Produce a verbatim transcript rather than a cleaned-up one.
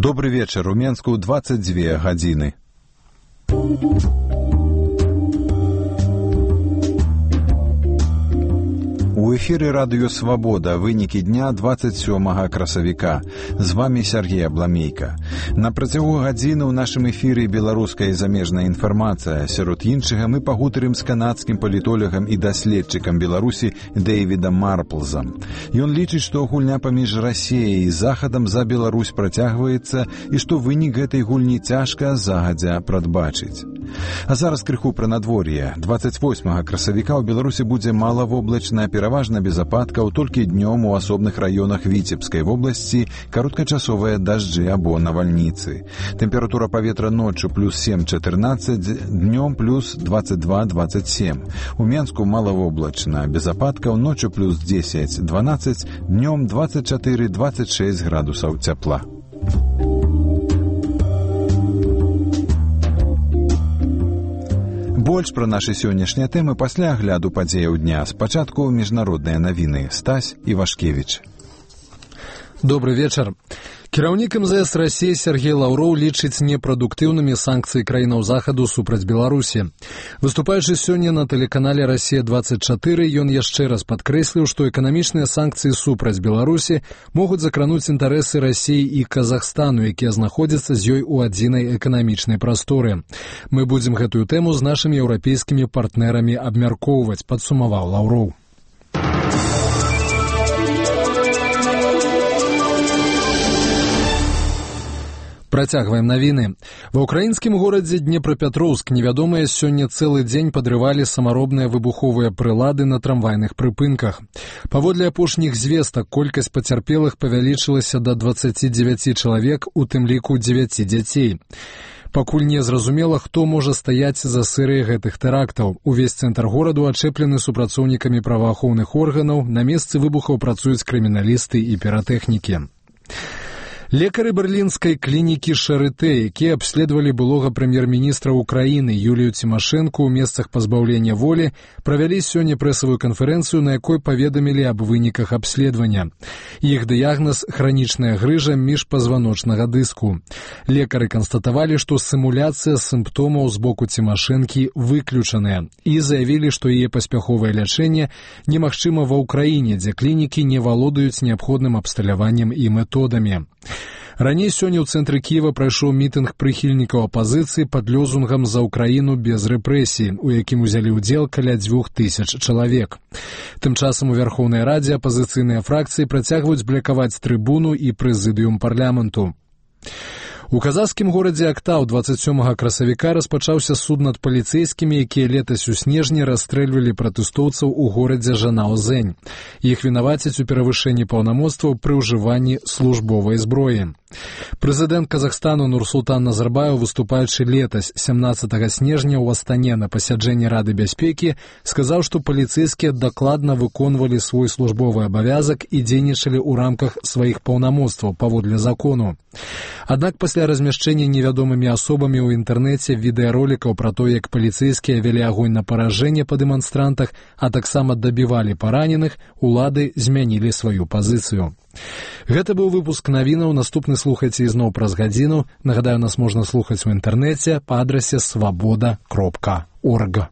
Добры вечар. У Менску дваццаць дзве гадзіны. У эфіры радыё «Свабода» вынікі дня дваццаць сёмага красавіка. З вамі Сергей Абламейка. На працягу гадзіны ў нашым эфіры беларуская і замежная інфармацыя. Сярод іншага мы пагутарым з канадскім палітолагам і даследчыкам Беларусі Дэйвідам Марплзам. Ён лічыць, што гульня паміж Расіяй і Захадам за Беларусь працягваецца і што вынік гэтай гульні цяжка загадзя прадбачыць. А зараз крыху пра надвор'е. дваццаць восьмага красавіка ў Беларусі будзе малавоблачна, пераважна без ападкаў, толькі днём у асобных раёнах Віцебскай вобласці кароткачасовыя дажджы або навальніцы. Тэмпература паветра ноччу плюс сем чатырнаццаць, днём плюс дваццаць два дваццаць сем. У Менску малавоблачна, без ападкаў, ноччу плюс дзесяць дванаццаць, днём дваццаць чатыры дваццаць шэсць градусаў цяпла. Больш пра нашы сённяшнія тэмы пасля агляду падзеяў дня. Спачатку міжнародныя навіны. Стась Івашкевіч. Добрый вечар. Кіраўнік эм зэ эс Расіі Сергей Лаўроў лічыць непрадуктыўнымі санкцыі краінаў Захаду супраць Беларусі. Выступаючы сёння на тэлеканале «Расія двадцать четыре», ён яшчэ раз падкрэсліў, што эканамічныя санкцыі супраць Беларусі могуць закрануць інтарэсы Расіі і Казахстану, якія знаходзяцца з ёй у адзінай эканамічнай прасторы. Мы будзем гэтую тэму з нашымі еўрапейскімі партнерамі абмяркоўваць, падсумаваў Лаўроў. Працягваем навіны. Ва ўкраінскім горадзе Днепрапетроўск невядомыя сёння цэлы дзень падрывалі самаробныя выбуховыя прылады на трамвайных прыпынках. Паводле апошніх звестак, колькасць пацярпелых павялічылася да дваццаці дзевяці чалавек, у тым ліку дзевяці дзяцей. Пакуль не зразумела, хто можа стаяць за серыяй гэтых тэрактаў. Увесь цэнтр гораду ачэплены супрацоўнікамі праваахоўных органаў, на месцы выбухаў працуюць крыміналісты і піратэхнікі. Лекары берлінскай клінікі Шарытэ, якія абследавалі былога прэм'ер-міністра Украіны Юлію Цімашэнку ў месцах пазбаўлення волі, правялі сёння прэсавую канферэнцыю, на якой паведамілі аб выніках абследавання. Іх дыягназ – хранічная грыжа міжпазваночнага дыску. Лекары канстатавалі, што сімуляцыя сімптомаў з боку Цімашэнкі выключаная і заявілі, што яе паспяховае лячэнне немагчыма ва ўкраіне, дзе клінікі не валодаюць неабходным абсталяваннем і методамі. Раней сёння ў цэнтры Кіева прайшоў мітынг прыхільнікаў апазіцыі пад лозунгам «За Украіну без рэпрэсій», у якім узялі ўдзел каля дзвюх тысяч чалавек. Тым часам у Верхоўнай Радзе апазіцыйныя фракцыі працягваюць блакаваць трыбуну і прэзідыум парламенту. У казахскім горадзе Актау дваццаць сёмага красавіка распачаўся суд над паліцэйскімі, якія летась у снежні расстрэльвалі пратэстоўцаў у горадзе Жанаозэнь. Іх вінавацяць у перавышэнні паўнамоцтваў пры ўжыванні службовай зброі. Прэзідэнт Казахстану Нурсултан Назарбаев, выступаючы летась сямнаццатага снежня ў Астане на пасяджэнні Рады бяспекі, сказаў, што паліцэйскія дакладна выконвалі свой службовы абавязак і дзейнічалі ў рамках сваіх паўнамоцтваў паводле закону. Аднак пасля размяшчэння невядомымі асобамі ў інтэрнэце відэаролікаў пра то, як паліцэйскія вялі агонь на паражэнне па дэманстрантах, а таксама дабівалі параненых, улады змянілі сваю пазіцыю. Гэта быў выпуск навінаў. Наступны слухайце ізноў праз гадзіну. Нагадаю, нас можна слухаць у інтэрнэце па адрасе свабода кропка орг.